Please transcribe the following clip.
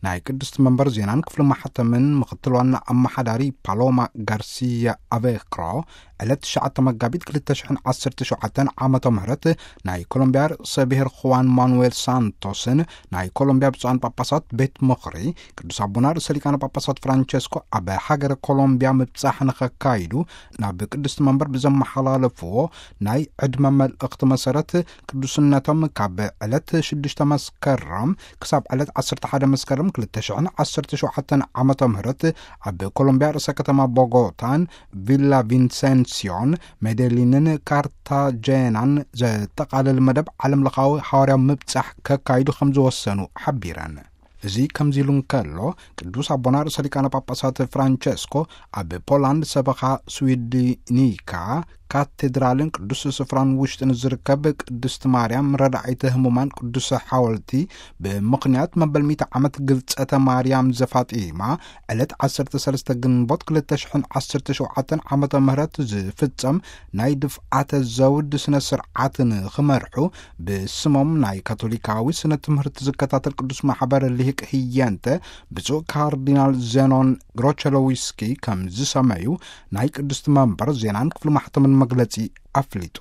ናይ ቅድስቲ መንበር ዜናን ክፍሊ ማሕተምን ምኽትል ዋና ኣመሓዳሪ ፓሎማ ጋርሲያ ኣቬክሮ፣ ዕለት ትሽዓተ መጋቢት ክልተ ሽሕን ዓሰርተ ሸውዓተን ዓመተ ምህረት ናይ ኮሎምቢያ ርእሰ ብሔር ኹዋን ማኑዌል ሳንቶስን ናይ ኮሎምቢያ ብፁዓን ጳጳሳት ቤት ምኽሪ ቅዱስ ኣቦና ርእሰ ሊቃነ ጳጳሳት ፍራንቸስኮ ኣብ ሃገረ ኮሎምቢያ ምብጻሕ ንኸካይዱ ናብ ቅድስቲ መንበር ብዘመሓላለፍዎ ናይ ዕድመ መልእኽቲ መሰረት፣ ቅዱስነቶም ካብ ዕለት ሽዱሽተ መስከረም ክሳብ ዕለት ዓሰርተ ሓደ መስከረም ክልተ ሽሕን ዓሰርተ ሸውዓተን ዓመተ ምህረት ኣብ ኮሎምቢያ ርእሰ ከተማ ቦጎታን ቪላ ቪንሰንሲዮን ሜዴሊንን ካርታጄናን ዘጠቓልል መደብ ዓለም ለኻዊ ሓዋርያዊ ምብጻሕ ከካይዱ ከም ዝወሰኑ ሓቢረን። እዚ ከምዚ ኢሉ እንከሎ፣ ቅዱስ ኣቦና ርእሰ ሊቃነ ጳጳሳት ፍራንቸስኮ ኣብ ፖላንድ ሰበኻ ስዊድኒካ ካቴድራልን ቅዱስ ስፍራን ውሽጥን ዝርከብ ቅድስቲ ማርያም ረዳኢተ ህሙማን ቅዱስ ሓወልቲ፣ ብምኽንያት መበል ሚእቲ ዓመት ግልጸተ ማርያም ዘፋጢማ፣ ዕለት ዓሰርተ ሰለስተ ግንቦት ክልተ ሽሕን ዓሰርተ ሸውዓተን ዓመተ ምህረት ዝፍጸም ናይ ድፍዓተ ዘውድ ስነ ስርዓት ንኽመርሑ፣ ብስሞም ናይ ካቶሊካዊ ስነ ትምህርቲ ዝከታተል ቅዱስ ማሕበር ሊቅ ህየንተ ብፁዕ ካርዲናል ዜኖን ግሮቸሎዊስኪ ከም ዝሰመዩ ናይ ቅድስቲ መንበር ዜናን ክፍሊ ማሕተምን መግለጺ ኣፍሊጡ።